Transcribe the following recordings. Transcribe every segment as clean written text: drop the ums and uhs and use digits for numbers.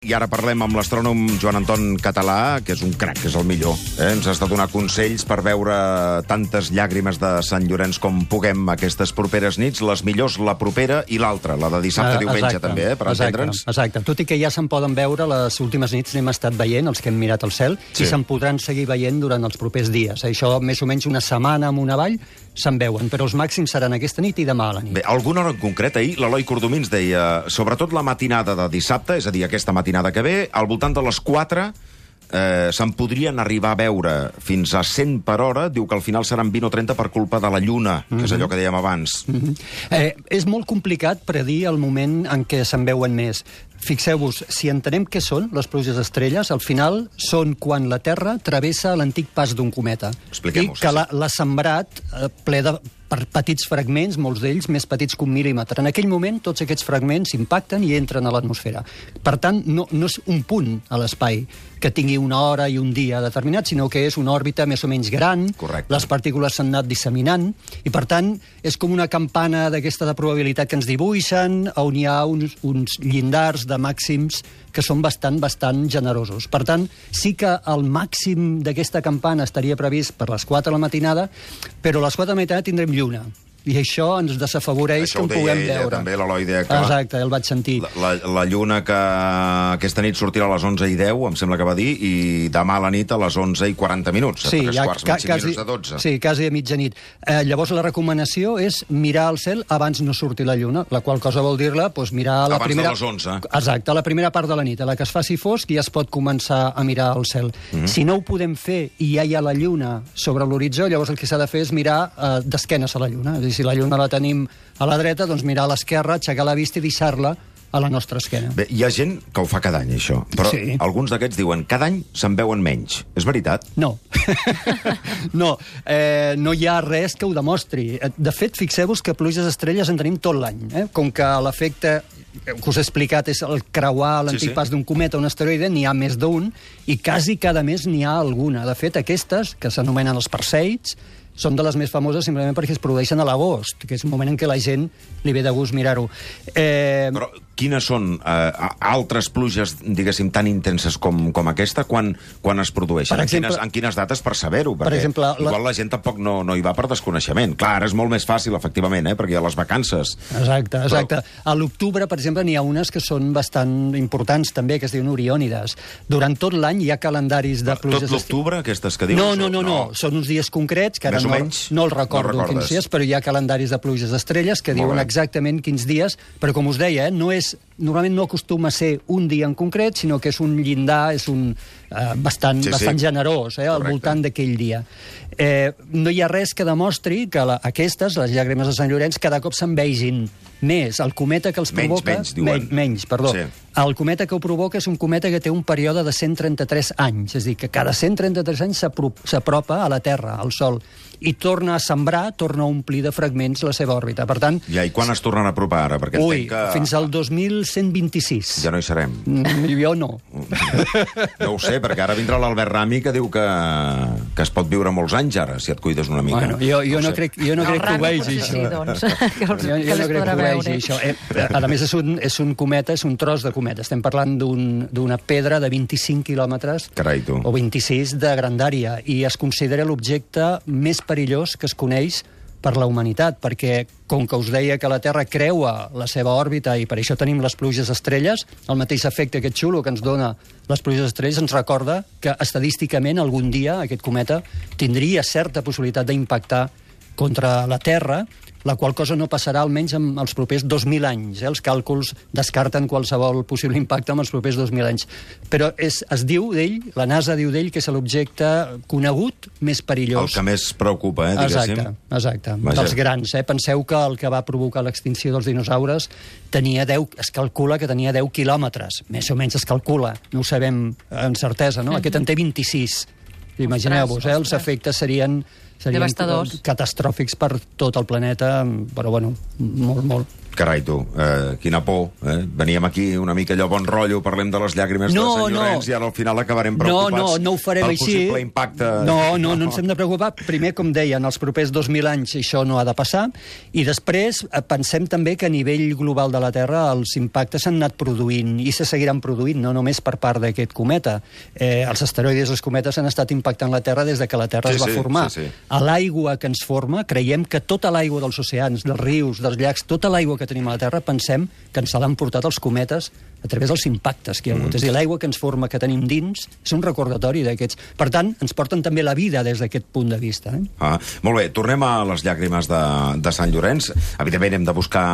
I ara parlem amb l'astrònom Joan Anton Català, que és un crac, és el millor. Ens has de donar consells per veure tantes llàgrimes de Sant Llorenç com puguem aquestes properes nits, les millors la propera i l'altra, la de dissabte, diumenge també, per entendre'ns. Exacte, tot i que ja se'n poden veure les últimes nits, n'hem estat veient, els que hem mirat el cel, i se'n podran seguir veient durant els propers dies. Això, més o menys una setmana amunt avall, se'n veuen, però els màxims seran aquesta nit i demà a la nit. Bé, alguna hora en concret, ahir l'Eloi Cordomins deia, sobretot la matinada de dissabte, és a dir, aquesta matinada que ve, al voltant de les 4 se'n podrien arribar a veure fins a 100 per hora, diu que al final seran 20 o 30 per culpa de la lluna, que és allò que dèiem abans. És molt complicat predir el moment en què se'n veuen més. Fixeu-vos, si entenem què són les pluges estrelles, al final són quan la Terra travessa l'antic pas d'un cometa. Expliquem-ho. I que l'ha sembrat ple de per petits fragments, molts d'ells més petits que un mil·límetre. En aquell moment, tots aquests fragments impacten i entren a l'atmosfera. Per tant, no és un punt a l'espai que tingui una hora i un dia determinat, sinó que és una òrbita més o menys gran. Correcte. Les partícules s'han anat disseminant, i per tant, és com una campana d'aquesta de probabilitat que ens dibuixen, on hi ha uns llindars de màxims que són bastant generosos. Per tant, sí que el màxim d'aquesta campana estaria previst per les 4 de la matinada, però a les 4 de la matinada tindrem lluna. I això ens desafavoreix que en puguem veure. També l'Eloi deia que... Exacte, el vaig sentir. La lluna que aquesta nit sortirà a les 11:10, em sembla que va dir, i demà a la nit a les 11:40. Sí, ja quasi de 12. Sí, quasi a mitjanit. Llavors la recomanació és mirar el cel abans no surti la lluna, la qual cosa vol dir-la, doncs mirar la primera... Abans de les 11. Exacte, la primera part de la nit, a la que es faci fosc, ja es pot començar a mirar el cel. Si no ho podem fer i ja hi ha la lluna sobre l'horitzó, llavors el que s'ha de fer és mirar d'esquenes a la lluna. És a dir, si la lluna la tenim a la dreta, doncs mirar a l'esquerra, aixecar la vista i deixar-la a la nostra esquena. Bé, hi ha gent que ho fa cada any, això, però sí. Alguns d'aquests diuen cada any se'n veuen menys. És veritat? No. No hi ha res que ho demostri. De fet, fixeu-vos que pluges estrelles en tenim tot l'any. Com que l'efecte que us he explicat és el creuar l'antic pas d'un cometa o un asteroide, n'hi ha més d'un, i quasi cada mes n'hi ha alguna. De fet, aquestes, que s'anomenen els Perseids, són de les més famoses simplement perquè es produeixen a l'agost, que és un moment en què la gent li ve de gust mirar-ho. Però quines són altres pluges, diguéssim, tan intenses com aquesta, quan es produeixen? Per exemple, en quines dates per saber-ho? Perquè exemple, igual la gent tampoc no hi va per desconeixement. Clar, és molt més fàcil, efectivament, perquè hi ha les vacances. Exacte. Però... A l'octubre, per exemple, n'hi ha unes que són bastant importants també, que es diuen Oriònides. Durant tot l'any hi ha calendaris de pluges... Tot l'octubre, aquestes que dius? No. Són uns dies concrets, que ara no el recordo quins dies, però hi ha calendaris de pluges estrelles que diuen exactament quins dies, però com us deia, normalment no acostuma a ser un dia en concret, sinó que és un llindar, és un bastant generós, al voltant d'aquell dia. No hi ha res que demostri que aquestes, les llàgrimes de Sant Llorenç, cada cop se'n vegin més. El cometa que els provoca... Menys, perdó. Sí. El cometa que ho provoca és un cometa que té un període de 133 anys, és a dir, que cada 133 anys s'apropa a la Terra, al Sol, i torna a sembrar, torna a omplir de fragments la seva òrbita. Per tant... I quan es tornen a apropar ara? Perquè fins al 2126. Ja no hi serem. Jo no. No ho sé, perquè ara vindrà l'Albert Rami que diu que es pot viure molts anys ara, si et cuides una mica. Bueno, jo no crec que ho vegi, això. Sí, doncs, jo no crec que ho vegi, això. A més, és un cometa, és un tros de cometa. Estem parlant d'una pedra de 25 quilòmetres o 26 de grandària, i es considera l'objecte més perillós que es coneix per la humanitat, perquè, com que us deia que la Terra creua la seva òrbita i per això tenim les pluges estrelles, el mateix efecte aquest xulo que ens dona les pluges estrelles ens recorda que estadísticament algun dia aquest cometa tindria certa possibilitat d'impactar contra la Terra, la qual cosa no passarà almenys en els propers 2.000 anys. Els càlculs descarten qualsevol possible impacte en els propers 2.000 anys. Però es diu d'ell, la NASA diu d'ell, que és l'objecte conegut més perillós. El que més preocupa, diguéssim. Exacte. Dels grans. Penseu que el que va provocar l'extinció dels dinosaures es calcula que tenia 10 quilòmetres. Més o menys es calcula. No ho sabem amb certesa, no? Aquest en té 26. Imagineu-vos, els efectes serien devastadors, catastròfics per tot el planeta, però bueno, molt. Carai, tu, quina por. Veníem aquí una mica allò bon rotllo, parlem de les llàgrimes de Sant Llorenç i ara al final acabarem preocupats no ho farem pel així. possible impacte. No ens hem de preocupar. Primer, com deia, en els propers 2.000 anys això no ha de passar, i després pensem també que a nivell global de la Terra els impactes s'han anat produint i se seguiran produint, no només per part d'aquest cometa. Els asteroides i els cometes han estat impactant la Terra des de que la Terra es va formar. A l'aigua que ens forma, creiem que tota l'aigua dels oceans, dels rius, dels llacs, tota l'aigua que tenim a la Terra, pensem que ens l'han portat els cometes a través dels impactes que hi ha hagut. És a dir, l'aigua que ens forma, que tenim dins, és un recordatori d'aquests. Per tant, ens porten també la vida des d'aquest punt de vista. Molt bé, tornem a les llàgrimes de Sant Llorenç. Evidentment hem de buscar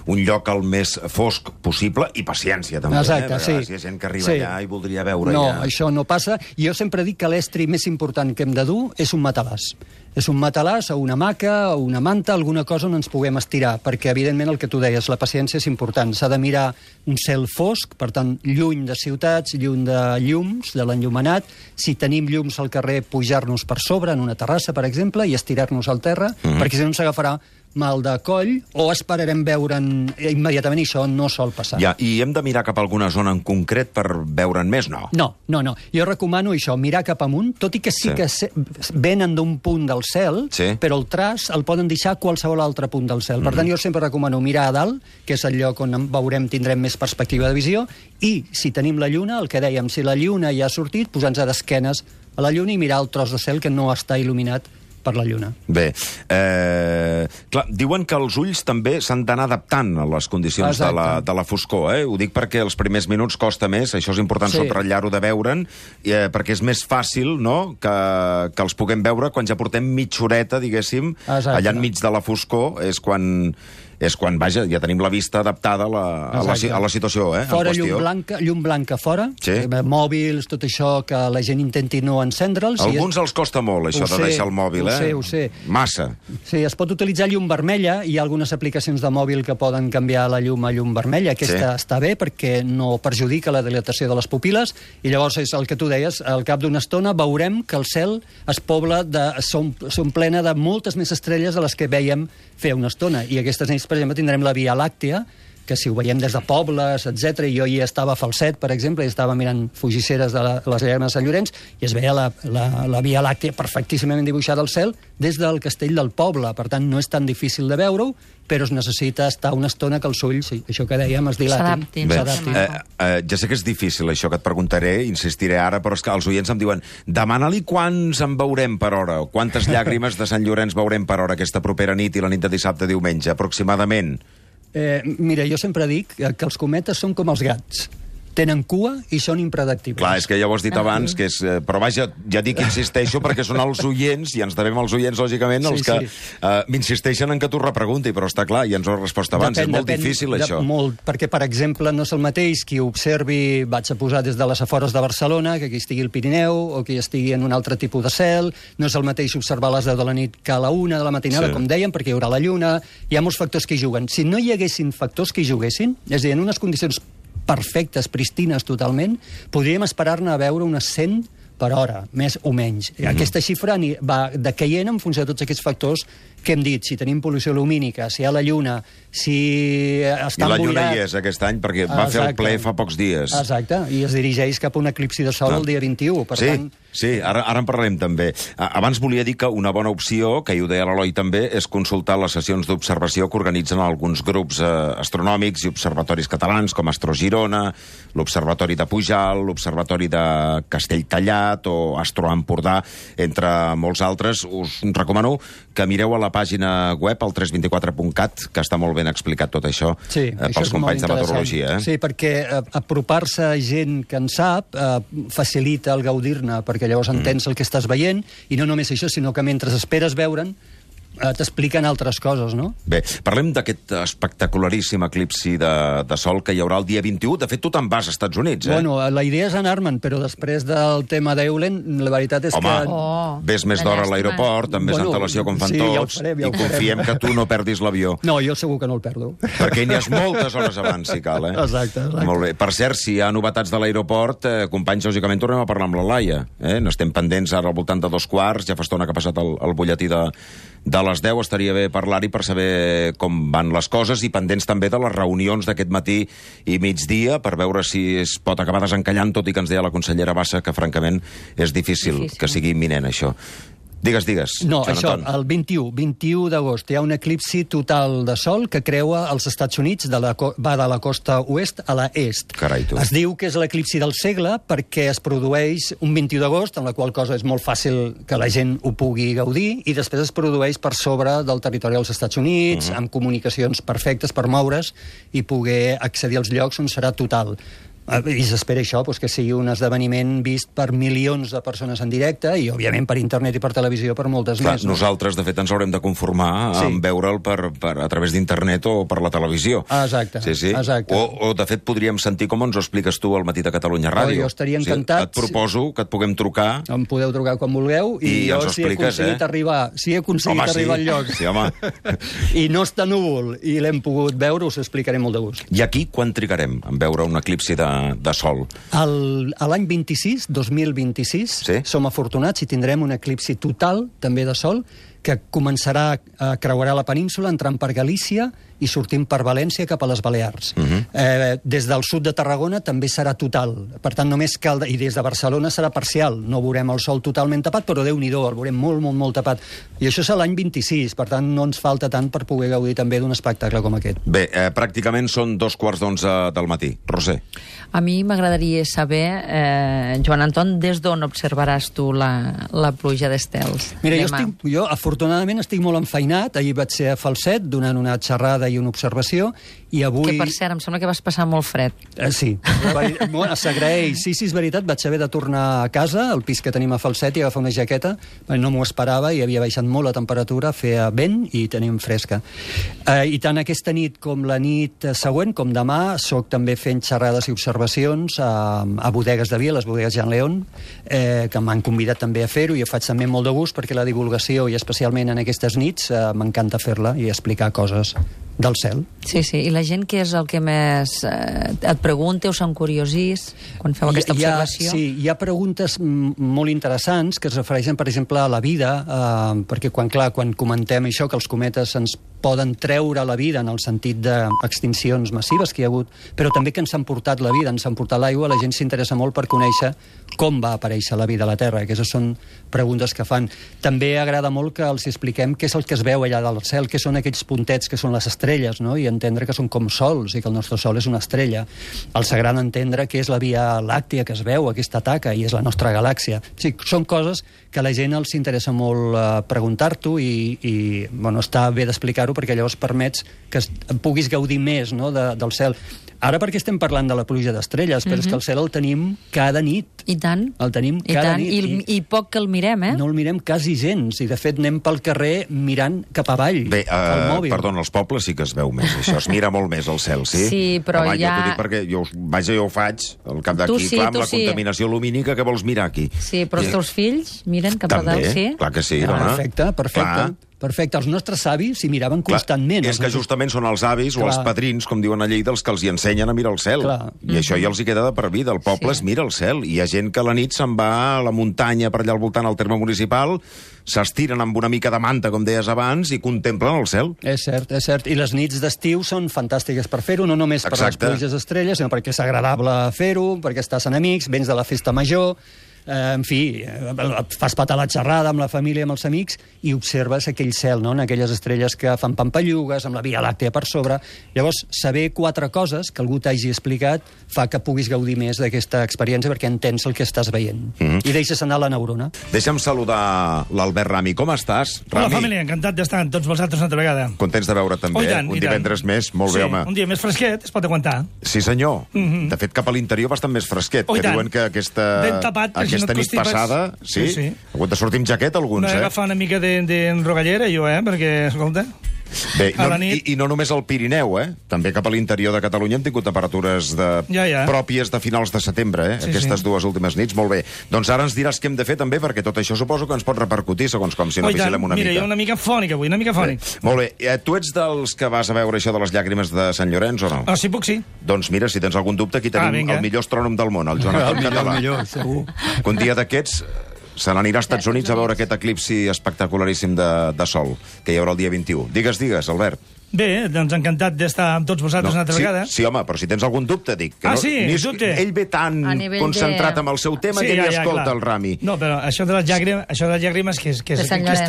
un lloc el més fosc possible i paciència, també. Exacte, sí. Si hi ha gent que arriba allà i voldria veure No, això no passa. Jo sempre dic que l'estri més important que hem de dur és un matalàs. És un matalàs o una hamaca o una manta, alguna cosa on ens puguem estirar, perquè, evidentment, el que tu deies, la paciència és important. S'ha de mirar un cel fosc, per tant, lluny de ciutats, lluny de llums, de l'enllumenat. Si tenim llums al carrer, pujar-nos per sobre, en una terrassa, per exemple, i estirar-nos al terra, perquè si no ens agafarà mal de coll, o esperarem veure'n immediatament, i això no sol passar. I hem de mirar cap a alguna zona en concret per veure'n més? No. No. Jo recomano això, mirar cap amunt, tot i que sí que venen d'un punt del cel, però el traç el poden deixar a qualsevol altre punt del cel. Per tant, jo sempre recomano mirar a dalt, que és el lloc on tindrem més perspectiva de visió, i si tenim la lluna, el que dèiem, si la lluna ja ha sortit, posar-nos d'esquenes a la lluna i mirar el tros de cel que no està il·luminat per la lluna. Bé, clar, diuen que els ulls també s'han d'anar adaptant a les condicions de la foscor, Ho dic perquè els primers minuts costa més, això és important subratllar-ho de veure'n, perquè és més fàcil, no?, que els puguem veure quan ja portem mitja horeta, diguéssim, allà enmig de la foscor, és quan, vaja, ja tenim la vista adaptada a la situació, Fora llum blanca fora, mòbils, tot això, que la gent intenti no encendre'ls. Alguns els costa molt, això de deixar el mòbil, Ho sé. Massa. Sí, es pot utilitzar llum vermella, hi ha algunes aplicacions de mòbil que poden canviar la llum a llum vermella, aquesta està bé perquè no perjudica la dilatació de les pupil·les, i llavors és el que tu deies, al cap d'una estona veurem que el cel es pobla, són plena de moltes més estrelles de les que veiem fer una estona, i aquestes nits, per exemple, tindrem la Via Làctea, que si ho veiem des de pobles, etc. Jo hi estava a Falset, per exemple, i estava mirant fugisseres de les llàgrimes de Sant Llorenç, i es veia la Via Làctea perfectíssimament dibuixada al cel des del castell del poble. Per tant, no és tan difícil de veure-ho, però es necessita estar una estona que els ulls, això que dèiem, es dilatin. Ja sé que és difícil això que et preguntaré, insistiré ara, però és que els oients em diuen demana-li quants en veurem per hora, o quantes llàgrimes de Sant Llorenç veurem per hora aquesta propera nit i la nit de dissabte a diumenge, aproximadament. Mira, jo sempre dic que els cometes són com els gats. Tenen cua i són impredictibles. Clar, és que ja ho has dit abans, que és... Però vaja, ja dic que insisteixo perquè són els oients, i ens devem als oients, lògicament, els que m'insisteixen en que t'ho repregunti, però està clar, ja ens ho has respost abans. És molt difícil, això. Molt, perquè, per exemple, no és el mateix qui observi, vaig a posar des de les afores de Barcelona, que qui estigui al Pirineu, o qui estigui en un altre tipus de cel, no és el mateix observar a les 10 de la nit que a la 1 de la matinada, com dèiem, perquè hi haurà la lluna, hi ha molts factors que hi juguen. Si no hi haguessin factors que hi juguessin, és a dir, en unes condicions perfectes, pristines totalment, podríem esperar-ne a veure unes 100 per hora, més o menys. Aquesta xifra va decaient en funció de tots aquests factors que hem dit, si tenim pol·lució lumínica, si hi ha la lluna, si està emboirat... I la lluna hi és aquest any, perquè va fer el ple fa pocs dies. Exacte, i es dirigeix cap a un eclipsi de sol el dia 21, per tant... Sí, ara en parlarem també. Abans volia dir que una bona opció, que hi ho deia l'Eloi també, és consultar les sessions d'observació que organitzen alguns grups astronòmics i observatoris catalans, com Astro Girona, l'Observatori de Pujalt, l'Observatori de Castelltallat o Astro Empordà, entre molts altres. Us recomano que mireu a la pàgina web, al 324.cat, que està molt ben explicat tot això pels companys de meteorologia. Sí, perquè apropar-se a gent que en sap facilita el gaudir-ne, perquè llavors entens el que estàs veient, i no només això, sinó que mentre esperes veure'n, t'expliquen altres coses, no? Bé, parlem d'aquest espectacularíssim eclipsi de sol que hi haurà el dia 21. De fet, tu te'n vas als Estats Units, Bueno, la idea és anar-me'n, però després del tema d'Eulen, la veritat és que... Home, ves més d'hora a l'aeroport, amb més antelació com fan tots, i confiem que tu no perdis l'avió. No, jo segur que no el perdo. Perquè n'hi ha moltes hores abans, si cal, Exacte. Molt bé. Per cert, si hi ha novetats de l'aeroport, companys, lògicament tornem a parlar amb la Laia. N'estem pendents ara al voltant de 2 quarts, ja fa estona que ha passat el butlletí de les 10 estaria bé parlar-hi per saber com van les coses i pendents també de les reunions d'aquest matí i migdia per veure si es pot acabar desencallant, tot i que ens deia la consellera Bassa que francament és difícil que sigui imminent això. Digues. No, això, el 21 d'agost hi ha un eclipsi total de sol que creua els Estats Units, va de la costa oest a la est. Carai, tu. Es diu que és l'eclipsi del segle perquè es produeix un 21 d'agost, en la qual cosa és molt fàcil que la gent ho pugui gaudir, i després es produeix per sobre del territori dels Estats Units, amb comunicacions perfectes per moure's i poder accedir als llocs on serà total. I s'espera això, que sigui un esdeveniment vist per milions de persones en directe i, òbviament, per internet i per televisió per moltes més. Nosaltres, de fet, ens haurem de conformar amb veure'l a través d'internet o per la televisió. Exacte. O, de fet, podríem sentir com ens ho expliques tu al Matí de Catalunya Ràdio. Jo estaria encantat. Et proposo que et puguem trucar. Em podeu trucar quan vulgueu i jo, si he aconseguit arribar al lloc i no està núvol i l'hem pogut veure, us ho explicaré molt de gust. I aquí quan trigarem en veure un eclipsi de sol? L'any 2026, som afortunats i tindrem un eclipsi total, també de sol, que començarà a creuar la península, entrant per Galícia i sortint per València cap a les Balears. Des del sud de Tarragona també serà total. Per tant, només cal... I des de Barcelona serà parcial. No veurem el sol totalment tapat, però Déu-n'hi-do, el veurem molt tapat. I això és l'any 26, per tant, no ens falta tant per poder gaudir també d'un espectacle com aquest. Bé, pràcticament són 2:15 del matí. Roser. A mi m'agradaria saber, Joan Anton, des d'on observaràs tu la pluja d'estels? Mira, jo afortunadament estic molt enfeinat. Ahir vaig ser a Falset donant una xerrada i una observació, i avui... Que, per cert, em sembla que vas passar molt fred. Sí, s'agraeix. Sí, és veritat, vaig haver de tornar a casa, al pis que tenim a Falset, i agafar una jaqueta. No m'ho esperava, i havia baixat molt la temperatura, feia vent i tenim fresca. I tant aquesta nit com la nit següent, com demà, soc també fent xerrades i observacions a bodegues de Via, les bodegues Jean León, que m'han convidat també a fer-ho, i ho faig també molt de gust, perquè la divulgació, i especialment en aquestes nits, m'encanta fer-la i explicar coses del cel. Sí, i la gent què és el que més et pregunta o s'encuriosís quan feu aquesta observació? Sí, hi ha preguntes molt interessants que es refereixen, per exemple, a la vida, perquè quan comentem això, que els cometes ens poden treure la vida en el sentit d'extincions massives que hi ha hagut, però també que ens han portat la vida, ens han portat l'aigua, la gent s'interessa molt per conèixer com va aparèixer la vida a la Terra. Aquestes són preguntes que fan. També agrada molt que els expliquem què és el que es veu allà del cel, què són aquells puntets que són les estrelles, no? I entendre que són com sols i que el nostre sol és una estrella. Els agrada entendre què és la Via Làctia que es veu, aquesta taca, i és la nostra galàxia. Sí, són coses que a la gent els interessa molt preguntar-t'ho i està bé d'explicar-ho perquè llavors permets que puguis gaudir més, no, del cel. Ara perquè estem parlant de la pluja d'estrelles, però és que el cel el tenim cada nit. I tant. El tenim cada nit. I poc que el mirem, No el mirem quasi gens, i de fet anem pel carrer mirant cap avall. Bé, perdona, als pobles sí que es veu més, això. Es mira molt més el cel, sí? Sí, però jo t'ho dic perquè jo ho faig, al cap d'aquí, clar, amb la contaminació lumínica, que vols mirar aquí? Sí, però els teus fills miren cap a dalt, sí? Clar que sí, dona. Perfecte. Els nostres avis s'hi miraven constantment. És que justament són els avis o els padrins, com diuen a Lleida, els que els hi ensenyen a mirar el cel. I això ja els hi queda de per vida. El poble es mira el cel. I hi ha gent que a la nit se'n va a la muntanya per allà al voltant al terme municipal, s'estiren amb una mica de manta, com deies abans, i contemplen el cel. És cert. I les nits d'estiu són fantàstiques per fer-ho, no només per les pluges estrelles, sinó perquè és agradable fer-ho, perquè estàs en amics, vens de la festa major... En fi, fas patar la xerrada amb la família, amb els amics, i observes aquell cel, no?, en aquelles estrelles que fan pampallugues, amb la Via Làctea per sobre. Llavors, saber 4 coses que algú t'hagi explicat fa que puguis gaudir més d'aquesta experiència perquè entens el que estàs veient. I deixes anar la neurona. Deixa'm saludar l'Albert Rami. Com estàs, Rami? Hola, família, encantat d'estar amb tots vosaltres una altra vegada. Contents de veure't també. Un divendres més, molt bé, home. Un dia més fresquet, es pot aguantar. Sí, senyor. De fet, cap a l'interior bastant més fresquet, que diuen que aquesta nit passada... Sí? Ha hagut de sortir amb jaqueta, alguns, No he agafat una mica d'enrogallera, jo, perquè, escolta... Bé, i no només al Pirineu, també cap a l'interior de Catalunya hem tingut temperatures pròpies de finals de setembre, aquestes 2 últimes nits. Molt bé. Doncs ara ens diràs què hem de fer també, perquè tot això suposo que ens pot repercutir, segons com, si no vigilem una mica. Mira, jo una mica fònic avui, una mica fònic. Molt bé. Tu ets dels que vas a veure això de les llàgrimes de Sant Llorenç o no? Sí, puc, sí. Doncs mira, si tens algun dubte, aquí tenim el millor astrònom del món, el Joan Anton Català. El millor, segur. Un dia d'aquests Se n'anirà als Estats Units a veure aquest eclipsi espectacularíssim de sol, que hi haurà el dia 21. Digues, Albert. Bé, doncs encantat d'estar amb tots vosaltres una altra vegada. Sí, home, però si tens algun dubte, dic. Dubte. Ell ve tan concentrat amb el seu tema que ni escolta el Rami. No, però això de les llàgrimes que es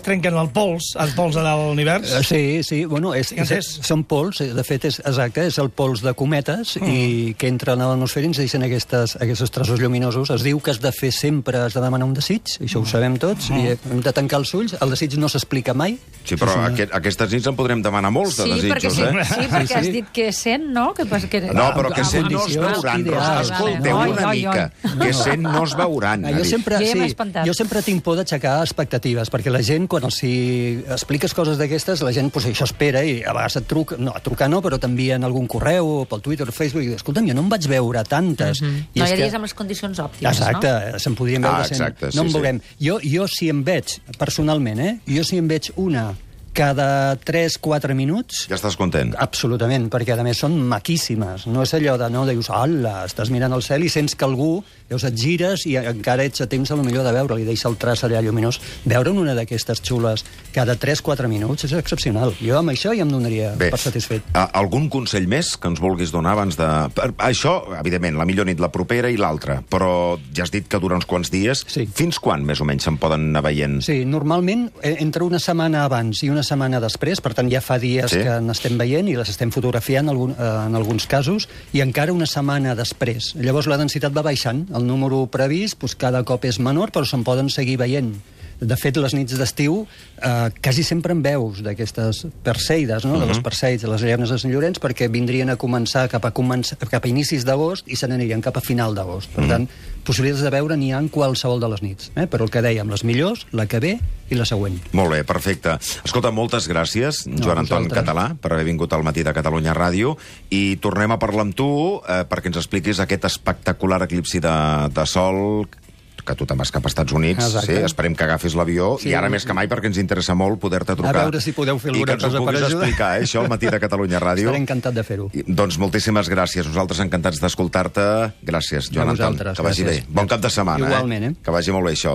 trenquen el pols de l'univers. Sí, bueno, són pols, de fet, exacte, és el pols de cometes i que entren a l'atmosfera i ens deixen aquests trossos lluminosos. Es diu que has de fer sempre, has de demanar un desig, això ho sabem tots, i hem de tancar els ulls, el desig no s'explica mai. Sí, però aquestes nits en podrem demanar molts de desitjos, Sí, perquè has dit que 100, no? No, però que 100 no es veuran, Rosa. Escolteu una mica, que 100 no es veuran. Jo sempre tinc por d'aixecar expectatives, perquè la gent, quan els expliques coses d'aquestes, la gent això espera i a vegades et truca, no, a trucar no, però t'envien algun correu, pel Twitter, o Facebook, i dius, escolta'm, jo no en vaig veure tantes. No hi hauries amb les condicions òptimes, no? Exacte, se'n podrien veure 100. No en veurem. Jo si em veig, personalment, jo si em veig una cada 3-4 minuts... Ja estàs content? Absolutament, perquè a més són maquíssimes. No és allò de, no, dius, hola, estàs mirant el cel i sents que algú, llavors et gires i encara ets a temps potser de veure-li, deixa el traç allà lluminós. Veure'n una d'aquestes xules cada 3-4 minuts és excepcional. Jo amb això ja em donaria per satisfet. Algun consell més que ens vulguis donar abans de... Això, evidentment, la millor nit, la propera i l'altra, però ja has dit que dura uns quants dies. Fins quan, més o menys, se'n poden anar veient? Sí, normalment, entre una setmana abans i una setmana després, per tant ja fa dies que n'estem veient i les estem fotografiant en alguns casos, i encara una setmana després. Llavors la densitat va baixant, el número previst cada cop és menor, però se'n poden seguir veient. De fet, les nits d'estiu quasi sempre en veus d'aquestes perseides, no? De les perseids, de les llaunes de Sant Llorenç, perquè vindrien a començar cap a inicis d'agost i se n'anirien cap a final d'agost. Per tant, possibilitats de veure n'hi ha en qualsevol de les nits. Però el que dèiem, les millors, la que ve i la següent. Molt bé, perfecte. Escolta, moltes gràcies, Joan Anton Català, per haver vingut al Matí de Catalunya Ràdio, i tornem a parlar amb tu perquè ens expliquis aquest espectacular eclipsi de sol que tu te'n vas cap als Estats Units. Sí, esperem que agafis l'avió, i ara més que mai perquè ens interessa molt poder-te trucar. A veure si podeu fer alguna cosa per ajudar. I que ens ho puguis explicar, això al Matí de Catalunya Ràdio. Estaré encantat de fer-ho. Doncs moltíssimes gràcies. Nosaltres encantats d'escoltar-te. Gràcies, Joan Anton. Que vagi bé. Bon cap de setmana. Igualment, Que vagi molt bé, això.